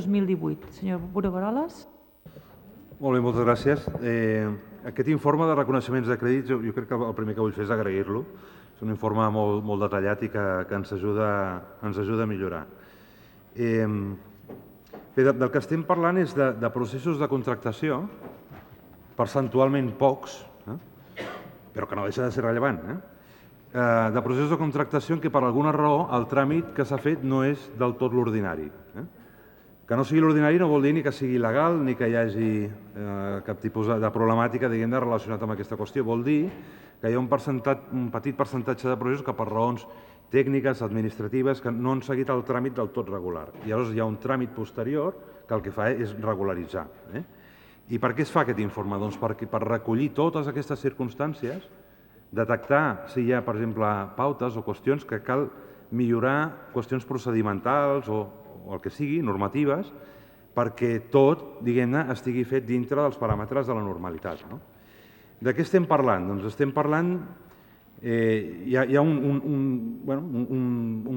2018. Senyor Brugueroles. Molt bé, moltes gràcies. Aquest informe de reconeixements de crèdits, jo crec que el primer que vull fer és agrair-lo. És un informe molt detallat i que ens ajuda a millorar. Bé, del que estem parlant és de processos de contractació, percentualment pocs, però que no deixa de ser rellevant, de processos de contractació en què per alguna raó el tràmit que s'ha fet no és del tot l'ordinari. Que no sigui l'ordinari no vol dir ni que sigui il·legal ni que hi hagi cap tipus de problemàtica relacionat amb aquesta qüestió. Vol dir que hi ha un petit percentatge de processos que per raons tècniques, administratives, que no han seguit el tràmit del tot regular. I llavors hi ha un tràmit posterior que el que fa és regularitzar. I per què es fa aquest informe? Doncs per recollir totes aquestes circumstàncies, detectar si hi ha, per exemple, pautes o qüestions que cal millorar, qüestions procedimentals o el que sigui, normatives, perquè tot, diguem-ne, estigui fet dintre dels paràmetres de la normalitat. De què estem parlant? Doncs estem parlant... Hi ha un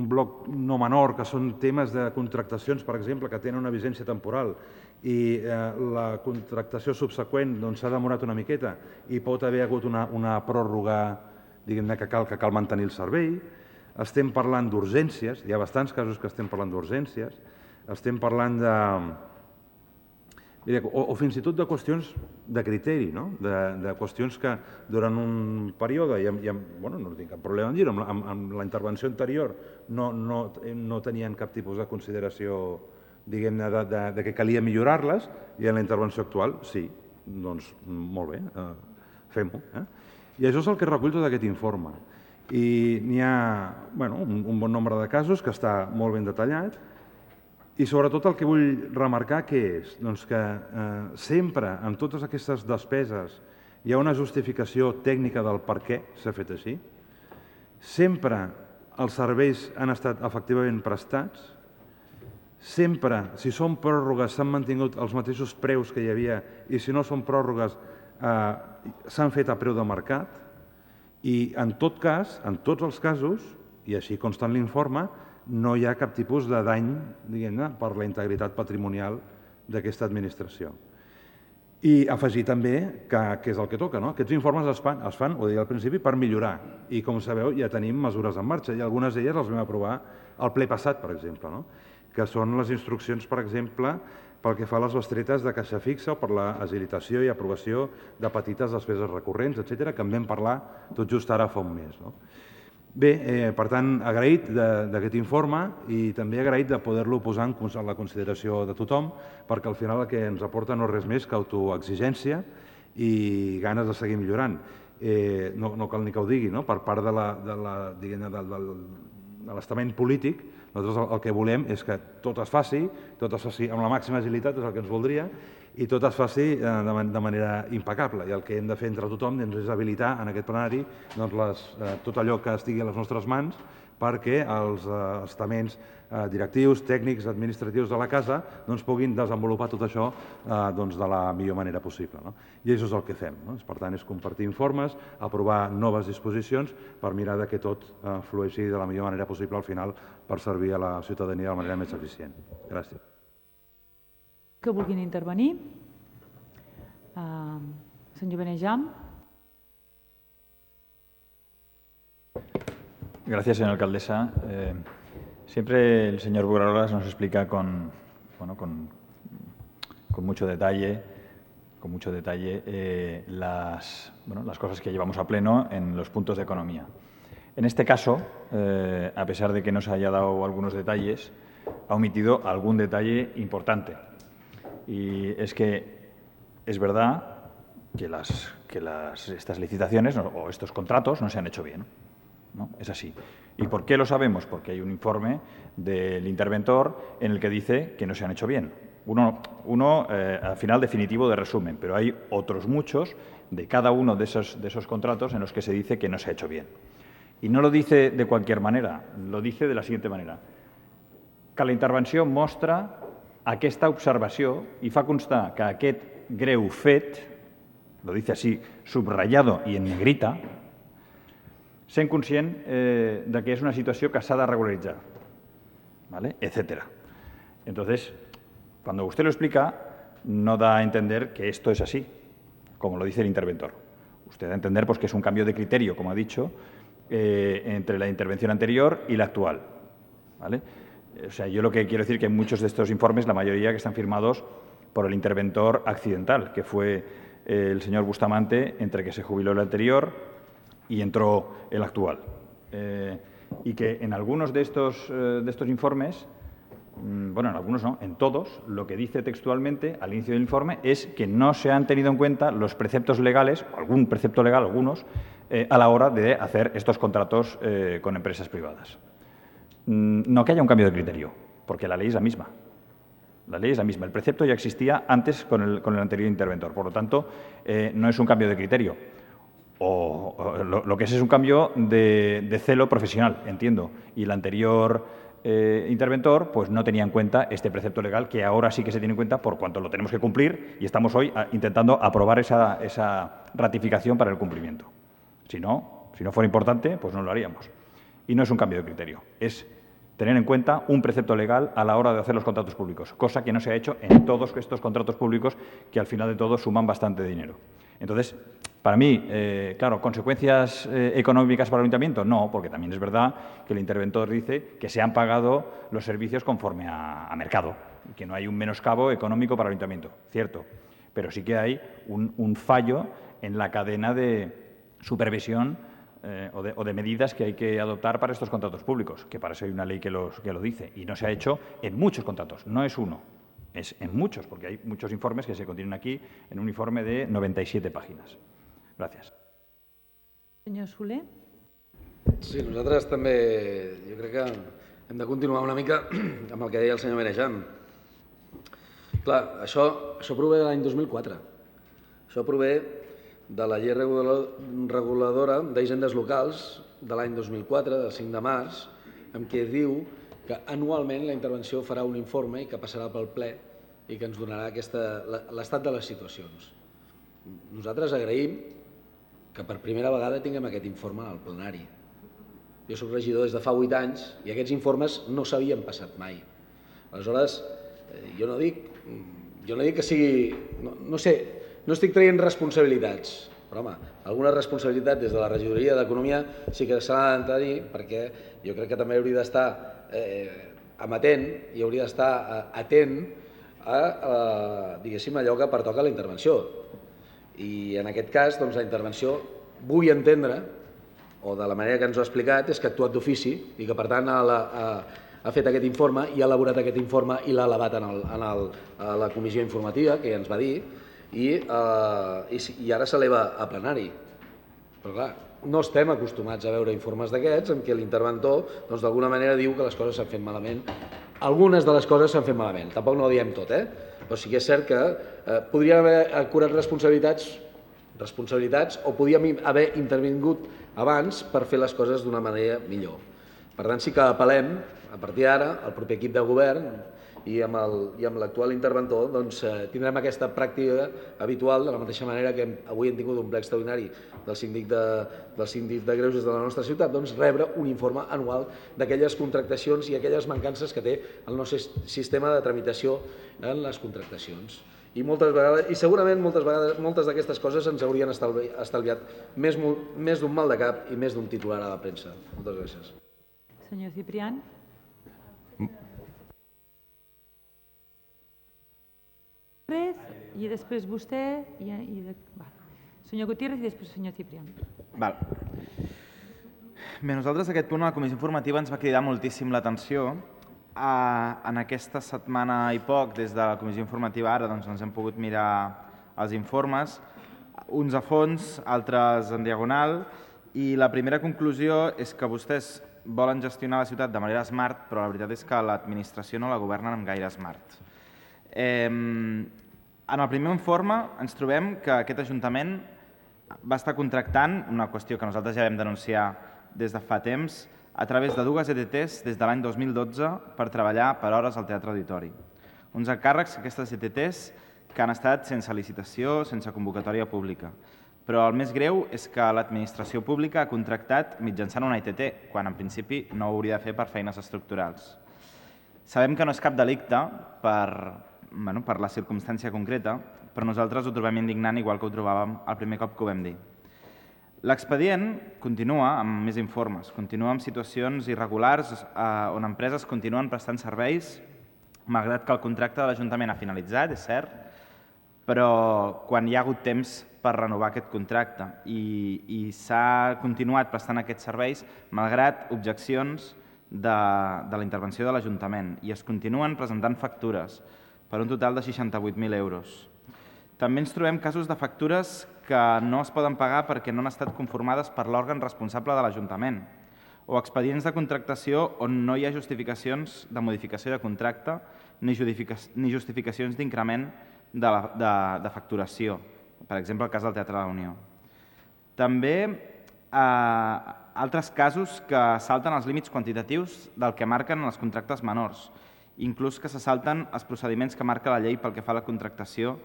bloc no menor, que són temes de contractacions, per exemple, que tenen una vigència temporal i la contractació subseqüent s'ha demorat una miqueta i pot haver hagut una pròrroga, diguem-ne, que cal mantenir el servei. Estem parlant d'urgències, hi ha bastants casos que estem parlant d'urgències, estem parlant o fins i tot de qüestions de criteri, de qüestions que durant un període, no tinc cap problema en dir-ho, amb la intervenció anterior no tenien cap tipus de consideració, diguem-ne, de que calia millorar-les, i en la intervenció actual sí, doncs molt bé, fem-ho. I això és el que recull tot aquest informe. I n'hi ha un bon nombre de casos que està molt ben detallat i sobretot el que vull remarcar què és? Doncs que sempre en totes aquestes despeses hi ha una justificació tècnica del per què s'ha fet així, sempre els serveis han estat efectivament prestats, sempre, si són pròrrogues, s'han mantingut els mateixos preus que hi havia i si no són pròrrogues s'han fet a preu de mercat. I en tot cas, en tots els casos, i així consta en l'informe, no hi ha cap tipus de dany, diguem-ne, per la integritat patrimonial d'aquesta administració. I afegir també que és el que toca, aquests informes es fan, ho deia al principi, per millorar. I com sabeu ja tenim mesures en marxa i algunes d'elles les vam aprovar al ple passat, per exemple, que són les instruccions, per exemple, pel que fa a les bestretes de caixa fixa o per l'agilitació i aprovació de petites despeses recurrents, etc., que en vam parlar tot just ara fa un mes. Bé, per tant, agraït d'aquest informe i també agraït de poder-lo posar en la consideració de tothom, perquè al final el que ens aporta no és res més que autoexigència i ganes de seguir millorant. No cal ni que ho digui, per part de l'estament polític, nosaltres el que volem és que tot es faci amb la màxima agilitat, és el que ens voldria, i tot es faci de manera impecable. I el que hem de fer entre tothom és habilitar en aquest plenari tot allò que estigui a les nostres mans perquè els estaments directius, tècnics, administratius de la casa puguin desenvolupar tot això de la millor manera possible. I això és el que fem. Per tant, és compartir informes, aprovar noves disposicions per mirar que tot flueixi de la millor manera possible al final per servir a la ciutadania de la manera més eficient. Gràcies. Que vulguin intervenir. Senyor Benejam. Gracias, señora alcaldesa. Siempre el señor Brugueroles nos explica con mucho detalle, las cosas que llevamos a pleno en los puntos de economía. En este caso, a pesar de que nos haya dado algunos detalles, ha omitido algún detalle importante. Y es que es verdad que estas licitaciones o estos contratos no se han hecho bien. ¿No? Es así. ¿Y por qué lo sabemos? Porque hay un informe del interventor en el que dice que no se han hecho bien. Uno al final definitivo de resumen, pero hay otros muchos de cada uno de esos contratos en los que se dice que no se ha hecho bien. Y no lo dice de cualquier manera, lo dice de la siguiente manera. Que la intervenció mostra aquesta observació i fa constar que aquest greu fet, lo dice así, subrayado y en negrita, sent conscient de que és una situació que s'ha de regularitzar, ¿vale? Etcétera. Entonces, Cuando usted lo explica, no da a entender que esto es así, como lo dice el interventor. Usted da a entender pues, que es un cambio de criterio, como ha dicho, entre la intervención anterior y la actual. ¿Vale? O sea, yo lo que quiero decir que en muchos de estos informes, la mayoría que están firmados por el interventor accidental, que fue el señor Bustamante, entre que se jubiló el anterior y entró el actual. Y que en algunos de estos informes, bueno, en algunos no, en todos, lo que dice textualmente al inicio del informe es que no se han tenido en cuenta los preceptos legales, algún precepto legal, algunos, a la hora de hacer estos contratos con empresas privadas. No que haya un cambio de criterio, porque la ley es la misma. La ley es la misma. El precepto ya existía antes con el anterior interventor. Por lo tanto, no es un cambio de criterio. Lo que es un cambio de celo profesional, entiendo. Y el anterior interventor pues no tenía en cuenta este precepto legal que ahora sí que se tiene en cuenta por cuanto lo tenemos que cumplir y estamos hoy intentando aprobar esa ratificación para el cumplimiento. Si no fuera importante, pues no lo haríamos. Y no es un cambio de criterio, es tener en cuenta un precepto legal a la hora de hacer los contratos públicos, cosa que no se ha hecho en todos estos contratos públicos que al final de todo suman bastante dinero. Entonces, para mí, claro, ¿consecuencias económicas para el ayuntamiento? No, porque también es verdad que el interventor dice que se han pagado los servicios conforme a mercado y que no hay un menoscabo económico para el ayuntamiento, cierto, pero sí que hay un fallo en la cadena de supervisión o de medidas que hay que adoptar para estos contratos públicos, que para eso hay una ley que lo dice, y no se ha hecho en muchos contratos, no es uno, es en muchos, porque hay muchos informes que se contienen aquí en un informe de 97 páginas. Gràcies. Senyor Soler. Sí, nosaltres també, jo crec que hem de continuar una mica amb el que deia el senyor Benejam. Clar, això prové de l'any 2004. Això prové de la llei reguladora d'hisendes locals de l'any 2004, del 5 de març, en què diu que anualment la intervenció farà un informe i que passarà pel ple i que ens donarà l'estat de les situacions. Nosaltres agraïm que per primera vegada tinguem aquest informe al plenari. Jo soc regidor des de fa 8 anys i aquests informes no s'havien passat mai. Aleshores, jo no dic que sigui... No sé, no estic traient responsabilitats, però home, alguna responsabilitat des de la regidoria d'Economia sí que s'ha de tenir, perquè jo crec que també hauria d'estar amatent i hauria d'estar atent a, diguéssim, allò que pertoca a la intervenció. I en aquest cas, doncs, la intervenció, vull entendre, o de la manera que ens ho ha explicat, és que ha actuat d'ofici i que, per tant, ha fet aquest informe i ha elaborat aquest informe i l'ha elevat a la comissió informativa, que ja ens va dir, i ara s'eleva a plenari. Però, clar, no estem acostumats a veure informes d'aquests en què l'interventor, doncs, d'alguna manera diu que les coses s'han fet malament. Algunes de les coses s'han fet malament, tampoc no ho diem tot, però sí que és cert que podrien haver acurat responsabilitats o podíem haver intervingut abans per fer les coses d'una manera millor. Per tant, sí que apel·lem, a partir d'ara, al proper equip de govern i amb l'actual interventor, doncs tindrem aquesta pràctica habitual, de la mateixa manera que avui hem tingut un ple extraordinari del síndic de Greuges de la nostra ciutat, doncs rebre un informe anual d'aquelles contractacions i aquelles mancances que té el nostre sistema de tramitació en les contractacions. I moltes vegades, i segurament moltes d'aquestes coses ens haurien estalviat més d'un mal de cap i més d'un titular a la premsa. Moltes gràcies. Senyor Ciprián. I després vostè senyor Gutiérrez i després senyor Ciprián. Bé, nosaltres aquest punt a la comissió informativa ens va cridar moltíssim l'atenció. En aquesta setmana i poc, des de la comissió informativa ara, doncs ens hem pogut mirar els informes, uns a fons, altres en diagonal, i la primera conclusió és que vostès volen gestionar la ciutat de manera smart, però la veritat és que l'administració no la governen amb gaire smart. En el primer informe ens trobem que aquest Ajuntament va estar contractant, una qüestió que nosaltres ja vam denunciar des de fa temps, a través de 2 ETTs des de l'any 2012 per treballar per hores al Teatre Auditori. Uns encàrrecs, aquestes ETTs, que han estat sense licitació, sense convocatòria pública. Però el més greu és que l'administració pública ha contractat mitjançant una ETT, quan en principi no ho hauria de fer per feines estructurals. Sabem que no és cap delicte per per la circumstància concreta, però nosaltres ho trobem indignant igual que ho trobàvem el primer cop que ho vam dir. L'expedient continua amb més informes, continua amb situacions irregulars on empreses continuen prestant serveis, malgrat que el contracte de l'Ajuntament ha finalitzat, és cert, però quan hi ha hagut temps per renovar aquest contracte i s'ha continuat prestant aquests serveis malgrat objeccions de la intervenció de l'Ajuntament i es continuen presentant factures per un total de 68.000 euros. També ens trobem casos de factures que no es poden pagar perquè no han estat conformades per l'òrgan responsable de l'Ajuntament o expedients de contractació on no hi ha justificacions de modificació de contracte ni justificacions d'increment de facturació, per exemple el cas del Teatre de la Unió. També altres casos que salten els límits quantitatius del que marquen els contractes menors, inclús que se salten els procediments que marca la llei pel que fa a la contractació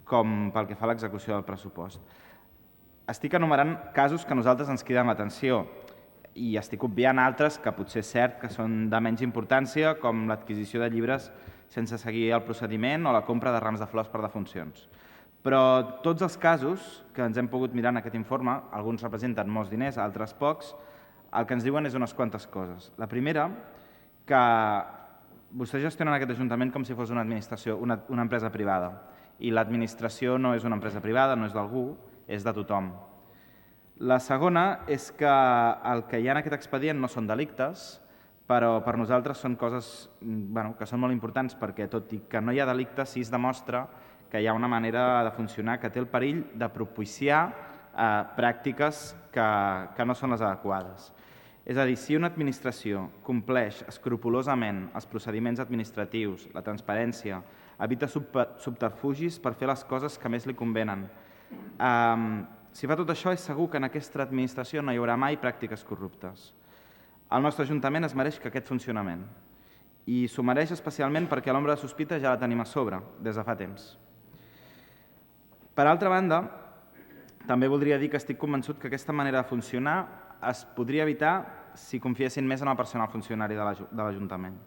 com pel que fa a l'execució del pressupost. Estic enumerant casos que a nosaltres ens criden l'atenció i estic obviant altres que potser és cert que són de menys importància, com l'adquisició de llibres sense seguir el procediment o la compra de rams de flors per defuncions. Però tots els casos que ens hem pogut mirar en aquest informe, alguns representen molts diners, altres pocs, el que ens diuen és unes quantes coses. La primera, que vostès gestionen aquest Ajuntament com si fos una administració, una empresa privada, i l'administració no és una empresa privada, no és d'algú, és de tothom. La segona és que el que hi ha en aquest expedient no són delictes, però per nosaltres són coses que són molt importants perquè, tot i que no hi ha delicte, sí es demostra que hi ha una manera de funcionar que té el perill de propiciar pràctiques que no són les adequades. És a dir, si una administració compleix escrupolosament els procediments administratius, la transparència, evita subterfugis per fer les coses que més li convenen. Si fa tot això, és segur que en aquesta administració no hi haurà mai pràctiques corruptes. El nostre Ajuntament es mereix aquest funcionament i s'ho mereix especialment perquè l'ombra de sospita ja la tenim a sobre des de fa temps. Per altra banda, també voldria dir que estic convençut que aquesta manera de funcionar es podria evitar si confiessin més en el personal funcionari de l'Ajuntament.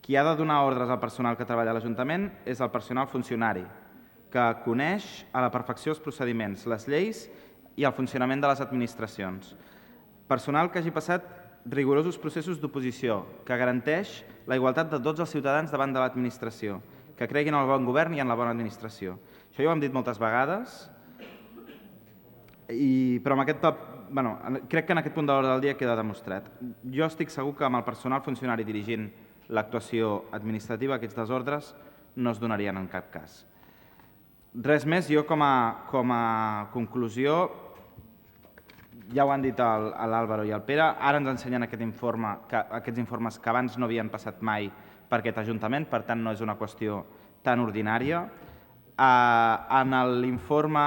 Qui ha de donar ordres al personal que treballa a l'Ajuntament és el personal funcionari, que coneix a la perfecció els procediments, les lleis i el funcionament de les administracions. Personal que hagi passat rigorosos processos d'oposició, que garanteix la igualtat de tots els ciutadans davant de l'administració, que creguin en el bon govern i en la bona administració. Això ja ho hem dit moltes vegades, però crec que en aquest punt de l'ordre del dia queda demostrat. Jo estic segur que amb el personal funcionari dirigint l'actuació administrativa aquests desordres no es donarien en cap cas. Res més, jo com a conclusió, ja ho han dit l'Àlvaro i el Pere, ara ens ensenyen aquests informes que abans no havien passat mai per aquest Ajuntament, per tant no és una qüestió tan ordinària. En l'informe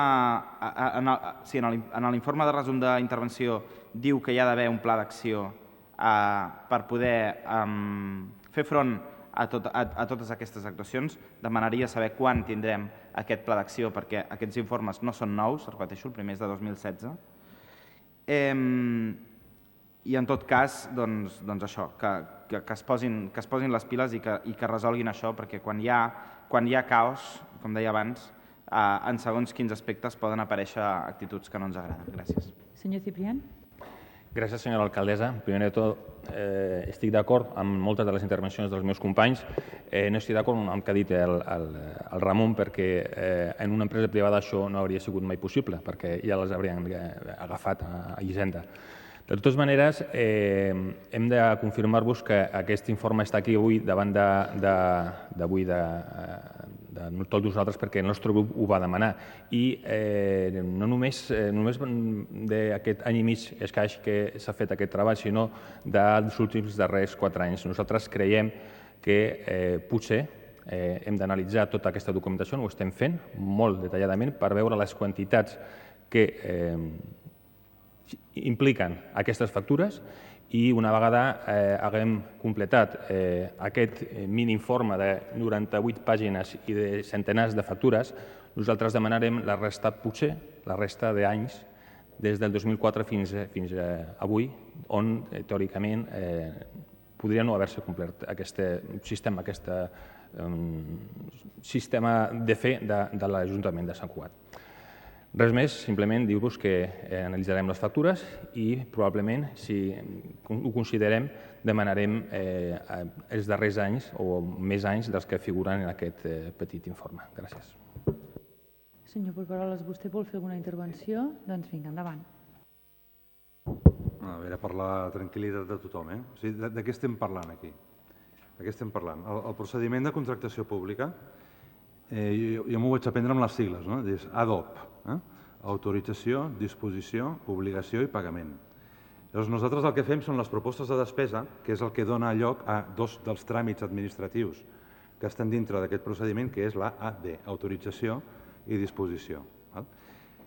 de resum d'intervenció diu que hi ha d'haver un pla d'acció per poder fer front a totes aquestes actuacions. Demanaria saber quan tindrem aquest pla d'acció perquè aquests informes no són nous, repeteixo, el primer és de 2016. I en tot cas, doncs això, que es posin les piles i que resolguin això, perquè quan hi ha caos, com deia abans, en segons quins aspectes poden aparèixer actituds que no ens agraden. Gràcies. Senyor Ciprián. Gràcies, senyora alcaldessa. Primer de tot, estic d'acord amb moltes de les intervencions dels meus companys. No estic d'acord amb el que ha dit el Ramon, perquè en una empresa privada això no hauria sigut mai possible, perquè ja les haurien agafat a Hisenda. De totes maneres, hem de confirmar-vos que aquest informe està aquí avui davant de tots nosaltres perquè el nostre grup ho va demanar. I no només d'aquest any i mig escaig que s'ha fet aquest treball, sinó dels últims darrers 4 anys. Nosaltres creiem que potser hem d'analitzar tota aquesta documentació, ho estem fent molt detalladament per veure les quantitats que impliquen aquestes factures i una vegada haguem completat aquest mini-informe de 98 pàgines i de centenars de factures, nosaltres demanarem la resta, potser, la resta d'anys des del 2004 fins avui, on teòricament podria no haver-se complert aquest sistema, aquesta sistema de fer de l'Ajuntament de Sant Cugat. Res més, simplement dir-vos que analitzarem les factures i probablement, si ho considerem, demanarem els darrers anys o més anys dels que figuren en aquest petit informe. Gràcies. Senyor Porqueroles, vostè vol fer alguna intervenció? Doncs vinga, endavant. A veure, per la tranquil·litat de tothom, O sigui, de què estem parlant aquí? De què estem parlant? El procediment de contractació pública, jo m'ho vaig aprendre amb les sigles, no? És ADOP, autorització, disposició, obligació i pagament. Llavors, nosaltres el que fem són les propostes de despesa, que és el que dona lloc a dos dels tràmits administratius que estan dintre d'aquest procediment, que és la AD, autorització i disposició.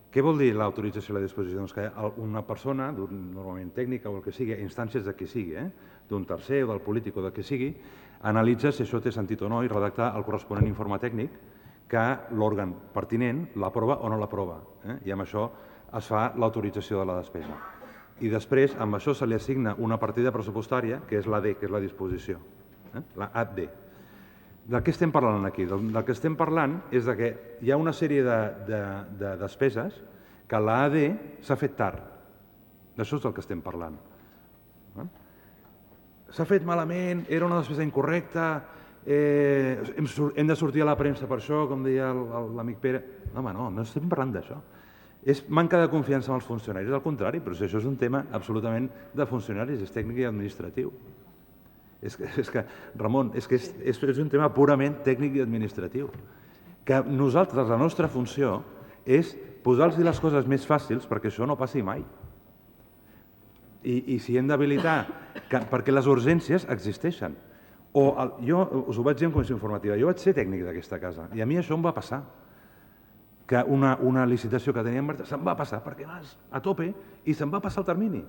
Què vol dir l'autorització i la disposició? Doncs que una persona, normalment tècnica o el que sigui, instàncies de qui sigui, d'un tercer o del polític o de qui sigui, analitza si això té sentit o no i redacta el corresponent informe tècnic que l'òrgan pertinent l'aprova o no l'aprova. I amb això es fa l'autorització de la despesa. I després, amb això se li assigna una partida pressupostària, que és l'AD, que és la disposició, la AD. De què estem parlant aquí? Del que estem parlant és que hi ha una sèrie de despeses que l'AD s'ha fet tard. D'això és del que estem parlant. S'ha fet malament, era una despesa incorrecta, hem de sortir a la premsa per això, com deia l'amic Pere. Home, no estem parlant d'això. És manca de confiança en els funcionaris, al contrari, però si això és un tema absolutament de funcionaris, és tècnic i administratiu. És que, Ramon, és un tema purament tècnic i administratiu. Que nosaltres, la nostra funció, és posar-los les coses més fàcils perquè això no passi mai. I si hem d'habilitar, perquè les urgències existeixen. Jo us ho vaig dir en comissió informativa, jo vaig ser tècnic d'aquesta casa i a mi això em va passar, que una licitació que teníem se'm va passar perquè vas a tope i se'm va passar el termini.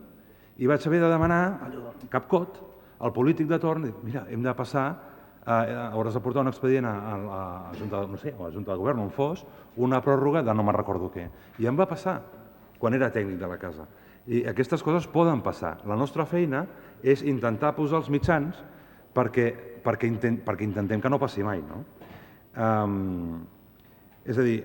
I vaig haver de demanar capcot al polític de torn, mira, hem de passar, hauràs de portar un expedient a la Junta de Govern, on fos, una pròrroga de no me'n recordo què. I em va passar quan era tècnic de la casa. I aquestes coses poden passar. La nostra feina és intentar posar els mitjans perquè intentem que no passi mai. És a dir,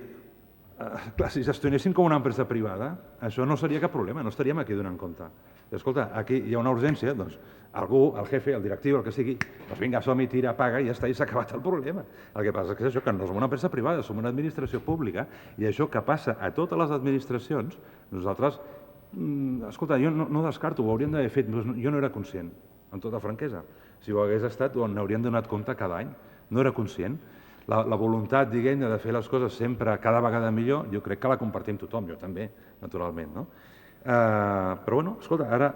clar, si gestionéssim com una empresa privada, això no seria cap problema, no estaríem aquí donant compte. Escolta, aquí hi ha una urgència, doncs algú, el jefe, el directiu, el que sigui, doncs vinga, som-hi, tira, paga i ja està, i s'ha acabat el problema. El que passa és que això, que no som una empresa privada, som una administració pública, i això que passa a totes les administracions, nosaltres, escolta, jo no descarto, ho hauríem d'haver fet, jo no era conscient, amb tota franquesa. Si ho hagués estat, n'hauríem donat compte cada any. No era conscient. La voluntat, diguem-ne, de fer les coses sempre cada vegada millor, jo crec que la compartim tothom, jo també, naturalment. Però, bueno, escolta, ara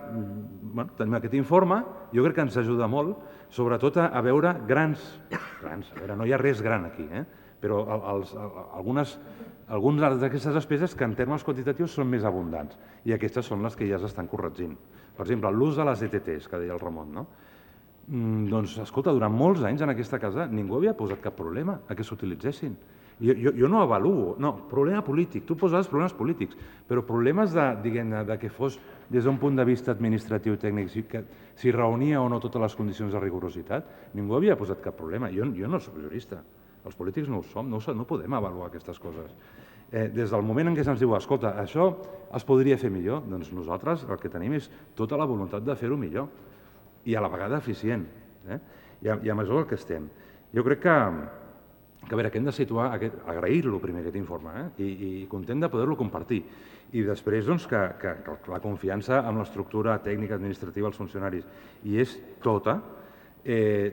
tenim aquest informe, jo crec que ens ajuda molt, sobretot a veure grans, a veure, no hi ha res gran aquí, però algunes d'aquestes despeses que en termes quantitatius són més abundants i aquestes són les que ja s'estan corregint. Per exemple, l'ús de les ETTs, que deia el Ramon, no? Doncs, escolta, durant molts anys en aquesta casa ningú havia posat cap problema a que s'utilitzessin. Jo no avaluo, no, problema polític, tu poses problemes polítics, però problemes de que fos des d'un punt de vista administratiu tècnic, si reunia o no totes les condicions de rigorositat, ningú havia posat cap problema. Jo no soc jurista, els polítics no ho som, no podem avaluar aquestes coses. Des del moment en què se'ns diu, escolta, això es podria fer millor, doncs nosaltres el que tenim és tota la voluntat de fer-ho millor i a la vegada eficient. I amb això és el que estem. Jo crec que a veure, que hem de situar, agrair-lo primer aquest informe i content de poder-lo compartir. I després que la confiança en l'estructura tècnica administrativa dels funcionaris hi és tota,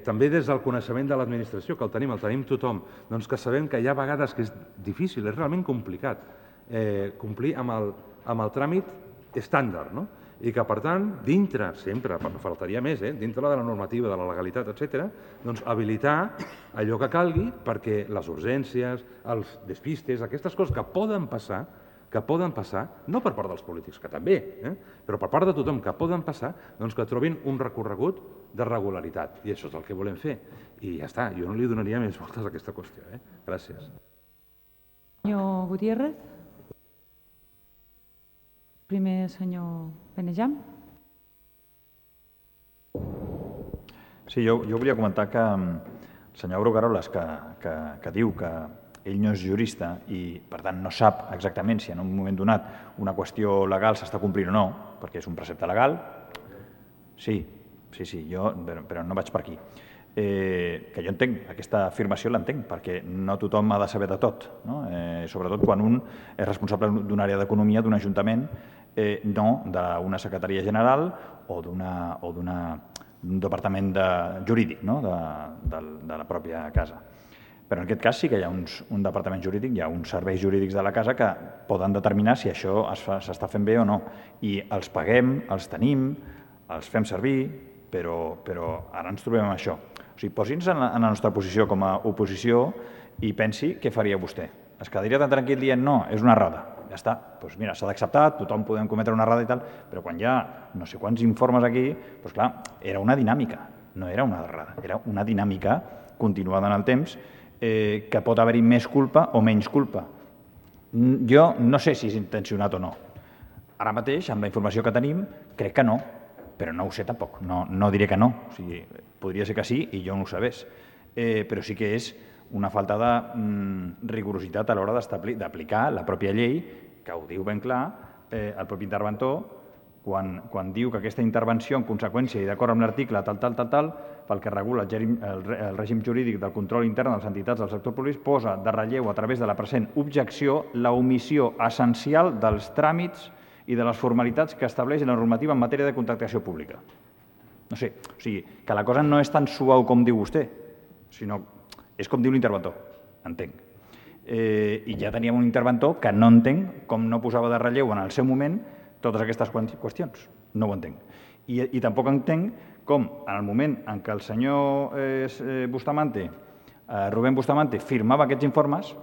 també des del coneixement de l'administració, que el tenim tothom, doncs que sabem que hi ha vegades que és difícil, és realment complicat complir amb el tràmit estàndard, no? I que, per tant, dintre, sempre, faltaria més, dintre de la normativa, de la legalitat, etc., doncs habilitar allò que calgui perquè les urgències, els despistes, aquestes coses que poden passar, no per part dels polítics, que també, però per part de tothom que poden passar, doncs que trobin un recorregut de regularitat. I això és el que volem fer. I ja està, jo no li donaria més voltes a aquesta qüestió. Gràcies. Senyor Gutiérrez. Primer, senyor Benejam. Sí, jo volia comentar que senyor Brugueroles, que diu que ell no és jurista i, per tant, no sap exactament si en un moment donat una qüestió legal s'està complint o no, perquè és un precepte legal, sí, però no vaig per aquí. Que jo entenc, aquesta afirmació l'entenc, perquè no tothom ha de saber de tot, no? Sobretot quan un és responsable d'una àrea d'economia d'un ajuntament, no d'una secretaria general o d'un departament jurídic, no? de la pròpia casa. Però en aquest cas sí que hi ha un departament jurídic, hi ha uns serveis jurídics de la casa que poden determinar si això s'està fent bé o no. I els paguem, els tenim, els fem servir, però ara ens trobem amb això. O sigui, posi'ns en la nostra posició com a oposició i pensi què faria vostè. Es quedaria tan tranquil dient no, és una errada. Ja està, doncs mira, s'ha d'acceptar, tothom podem cometre una errada i tal, però quan hi ha no sé quants informes aquí, doncs clar, era una dinàmica, no era una errada, era una dinàmica continuada en el temps que pot haver-hi més culpa o menys culpa. Jo no sé si és intencionat o no. Ara mateix, amb la informació que tenim, crec que no, però no ho sé tampoc, no diré que no. O sigui, podria ser que sí i jo no ho sabés, però sí que és una falta de rigorositat a l'hora d'aplicar la pròpia llei, que ho diu ben clar el propi interventor, quan diu que aquesta intervenció en conseqüència i d'acord amb l'article tal, pel que regula el règim jurídic del control intern de les entitats del sector públic, posa de relleu a través de la present objecció la omissió essencial dels tràmits i de les formalitats que estableix la normativa en matèria de contractació pública. No sé, o sigui, que la cosa no és tan suau com diu vostè, sinó és com diu l'interventor, entenc. I ja teníem un interventor que no entenc com no posava de relleu en el seu moment totes aquestes qüestions. No ho entenc. I tampoc entenc com en el moment en què el senyor Rubén Bustamante firmava aquests informes,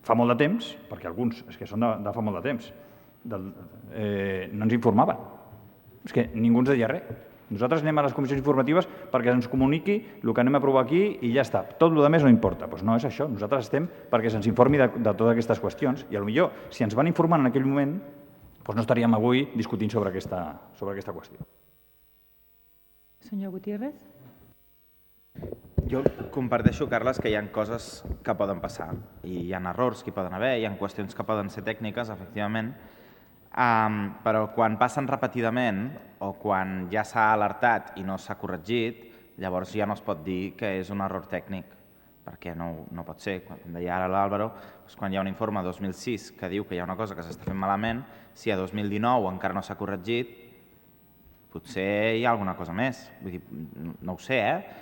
fa molt de temps, perquè alguns és que són de fa molt de temps, no ens informaven. És que ningú ens deia res. Nosaltres anem a les comissions informatives perquè ens comuniqui el que anem a aprovar aquí i ja està. Tot el que no importa. Doncs no és això. Nosaltres estem perquè se'ns informi de totes aquestes qüestions i potser si ens van informar en aquell moment no estaríem avui discutint sobre aquesta qüestió. Senyor Gutiérrez. Jo comparteixo, Carles, que hi ha coses que poden passar i hi ha errors que hi poden haver, hi ha qüestions que poden ser tècniques, efectivament, però quan passen repetidament o quan ja s'ha alertat i no s'ha corregit, llavors ja no es pot dir que és un error tècnic, perquè no pot ser. Com deia ara l'Àlvaro, quan hi ha un informe 2006 que diu que hi ha una cosa que s'està fent malament, si a 2019 encara no s'ha corregit, potser hi ha alguna cosa més. Vull dir, no ho sé,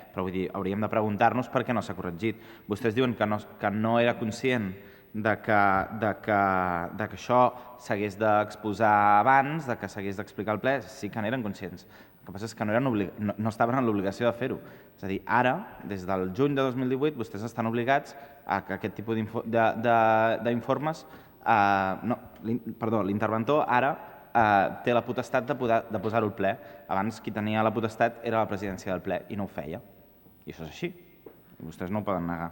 però vull dir, hauríem de preguntar-nos per què no s'ha corregit. Vostès diuen que no era conscient de que això s'hagués d'exposar abans, de que s'hagués d'explicar al ple. Sí que n'eren conscients. El que passa és que no estaven en l'obligació de fer-ho. És a dir, ara, des del juny de 2018, vostès estan obligats a que aquest tipus d'informes... L'interventor ara té la potestat de posar-ho al ple. Abans qui tenia la potestat era la presidència del ple i no ho feia. I això és així. Vostès no ho poden negar.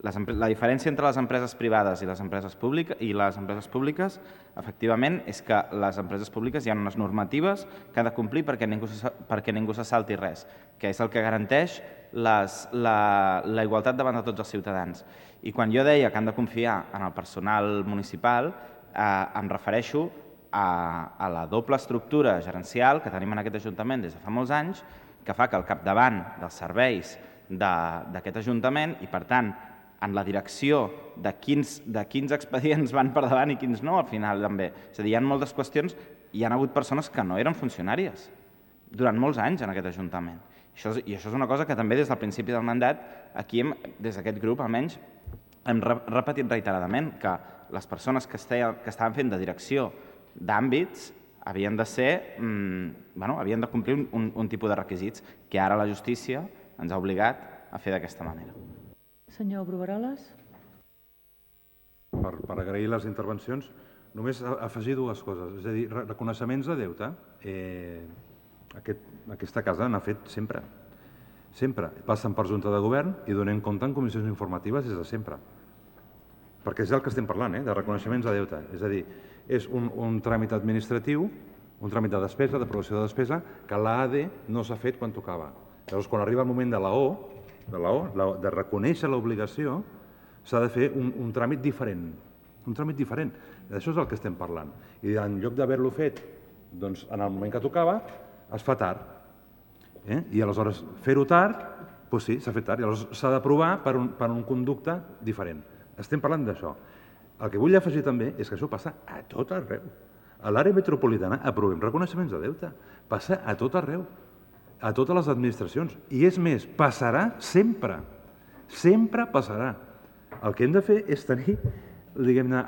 La diferència entre les empreses privades i les empreses públiques, efectivament, és que les empreses públiques hi ha unes normatives que ha de complir perquè ningú se salti res, que és el que garanteix la igualtat davant de tots els ciutadans. I quan jo deia que han de confiar en el personal municipal, em refereixo a la doble estructura gerencial que tenim en aquest Ajuntament des de fa molts anys, que fa que al capdavant dels serveis d'aquest Ajuntament i, per tant, en la direcció de quins expedients van per davant i quins no, al final també. És a dir, hi ha moltes qüestions, hi ha hagut persones que no eren funcionàries durant molts anys en aquest Ajuntament. I això és una cosa que també des del principi del mandat, aquí des d'aquest grup almenys, hem repetit reiteradament, que les persones que estaven fent de direcció d'àmbits havien de complir un tipus de requisits que ara la justícia ens ha obligat a fer d'aquesta manera. Senyor Brugueroles. Per agrair les intervencions, només afegir dues coses. És a dir, reconeixements de deute. Aquesta casa n'ha fet sempre. Sempre. Passen per Junta de Govern i donem compte en comissions informatives des de sempre. Perquè és del que estem parlant, de reconeixements de deute. És a dir, és un tràmit administratiu, un tràmit de despesa, d'aprovació de despesa, que l'AD no s'ha fet quan tocava. Llavors, quan arriba el moment de la O, de reconèixer l'obligació, s'ha de fer un tràmit diferent. Un tràmit diferent. D'això és el que estem parlant. I en lloc d'haver-lo fet en el moment que tocava, es fa tard. I aleshores fer-ho tard, doncs sí, s'ha fet tard. I aleshores s'ha d'aprovar per un conducte diferent. Estem parlant d'això. El que vull afegir també és que això passa a tot arreu. A l'àrea metropolitana aprovem reconeixements de deute. Passa a tot arreu, a totes les administracions. I és més, passarà sempre. Sempre passarà. El que hem de fer és tenir, diguem-ne,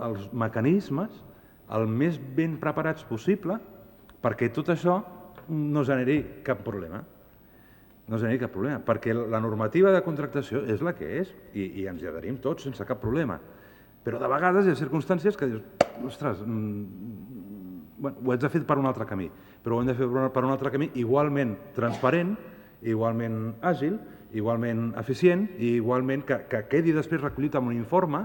els mecanismes el més ben preparats possible perquè tot això no generi cap problema. No generi cap problema, perquè la normativa de contractació és la que és i ens hi adherim tots sense cap problema. Però de vegades hi ha circumstàncies que dius, ostres, ho haig de fer per un altre camí, però ho hem de fer per un altre camí igualment transparent, igualment àgil, igualment eficient i igualment que quedi després recollit en un informe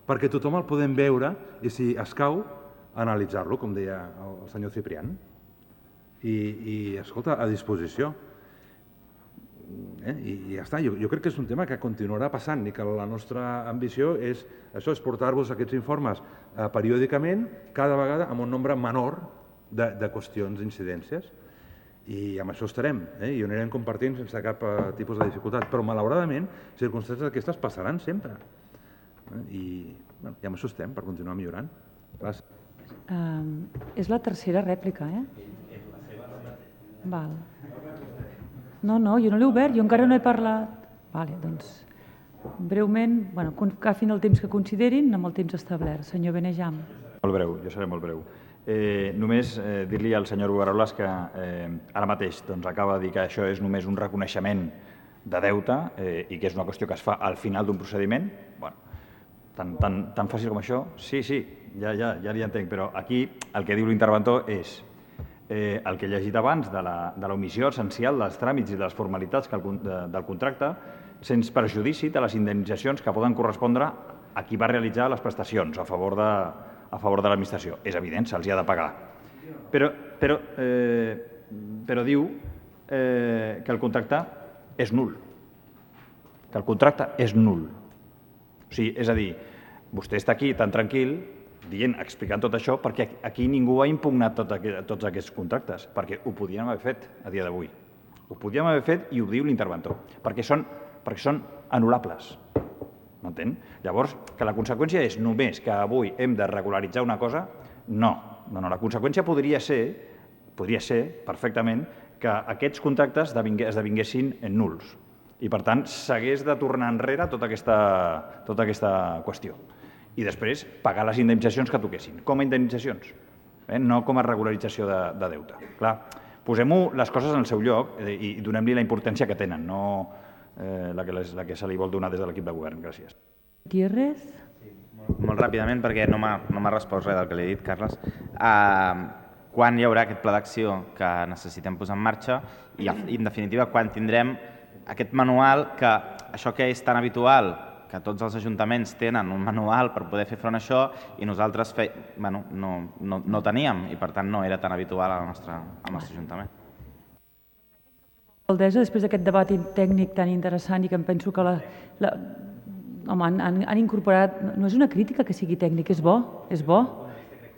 perquè tothom el podem veure i, si escau, analitzar-lo, com deia el senyor Ciprián. I escolta, a disposició. I ja està. Jo crec que és un tema que continuarà passant i que la nostra ambició és això, és portar-vos aquests informes periòdicament, cada vegada amb un nombre menor de qüestions, d'incidències, i amb això estarem, i ho anirem compartint sense cap tipus de dificultat. Però, malauradament, circumstàncies d'aquestes passaran sempre. I amb això estem, per continuar millorant. Gràcies. És la tercera rèplica, Val. No, jo no l'he obert, jo encara no he parlat. Vale, doncs, breument, agafin el temps que considerin amb el temps establert. Senyor Benejam. Molt breu, jo seré molt breu. Només dir-li al senyor Bogaroles que ara mateix acaba de dir que això és només un reconeixement de deute i que és una qüestió que es fa al final d'un procediment. Tan fàcil com això? Sí, ja li entenc, però aquí el que diu l'interventor és el que he llegit abans de l'omissió essencial dels tràmits i de les formalitats del contracte sense perjudici de les indemnitzacions que poden correspondre a qui va realitzar les prestacions a favor de l'administració. És evident, se'ls ha de pagar. Però diu que el contracte és nul. Que el contracte és nul. O sigui, és a dir, vostè està aquí tan tranquil explicant tot això perquè aquí ningú ha impugnat tots aquests contractes, perquè ho podíem haver fet a dia d'avui. Ho podíem haver fet i ho diu l'interventor, perquè són anul·lables. M'entén? Llavors, que la conseqüència és només que avui hem de regularitzar una cosa, no. La conseqüència podria ser perfectament que aquests contractes esdevinguessin nuls i, per tant, s'hagués de tornar enrere tota aquesta qüestió. I després pagar les indemnitzacions que toquessin, com a indemnitzacions, no com a regularització de deute. Clar, posem-ho les coses en el seu lloc i donem-li la importància que tenen, no la que se li vol donar des de l'equip de govern. Gràcies. Gutiérrez? Molt ràpidament, perquè no m'ha respost res del que li he dit, Carles. Quan hi haurà aquest pla d'acció que necessitem posar en marxa i, en definitiva, quan tindrem aquest manual que això que és tan habitual, que tots els ajuntaments tenen un manual per poder fer front a això i nosaltres no teníem i, per tant, no era tan habitual al nostre ajuntament. Alcaldessa, després d'aquest debat tècnic tan interessant i que em penso que han incorporat... No és una crítica que sigui tècnic, és bo.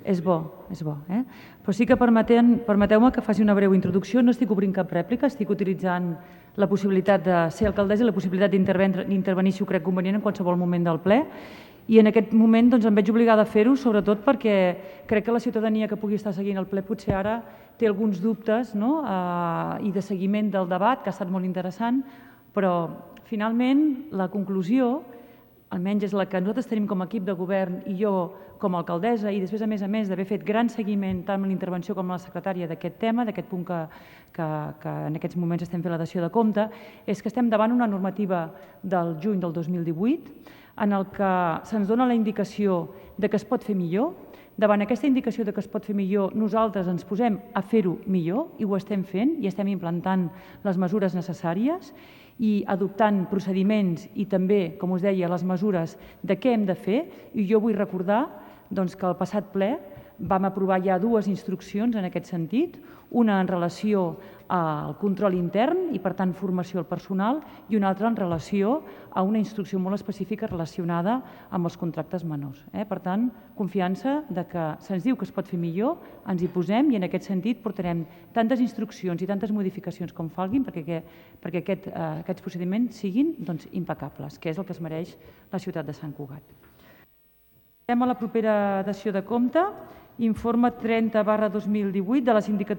Però sí que permeteu-me que faci una breu introducció. No estic obrint cap rèplica, estic utilitzant la possibilitat de ser alcaldessa i la possibilitat d'intervenir, si ho crec convenient, en qualsevol moment del ple. I en aquest moment em veig obligada a fer-ho, sobretot perquè crec que la ciutadania que pugui estar seguint el ple potser ara té alguns dubtes i de seguiment del debat, que ha estat molt interessant, però finalment la conclusió, almenys és la que nosaltres tenim com a equip de govern i jo com a alcaldessa, i després, a més d'haver fet gran seguiment tant amb la intervenció com amb la secretària d'aquest tema, d'aquest punt que en aquests moments estem fent la dació de compte, és que estem davant una normativa del juny del 2018 en el que se'ns dona la indicació de que es pot fer millor. Davant aquesta indicació de que es pot fer millor, nosaltres ens posem a fer-ho millor i ho estem fent i estem implantant les mesures necessàries i adoptant procediments i també, com us deia, les mesures de què hem de fer. I jo vull recordar que al passat ple vam aprovar ja 2 instruccions en aquest sentit, una en relació al control intern i, per tant, formació al personal, i una altra en relació a una instrucció molt específica relacionada amb els contractes menors. Per tant, confiança que se'ns diu que es pot fer millor, ens hi posem i en aquest sentit portarem tantes instruccions i tantes modificacions com falguin perquè aquests procediments siguin impecables, que és el que es mereix la ciutat de Sant Cugat. Passem a la propera dació de compte, informe 30/2018 de la Sindicatura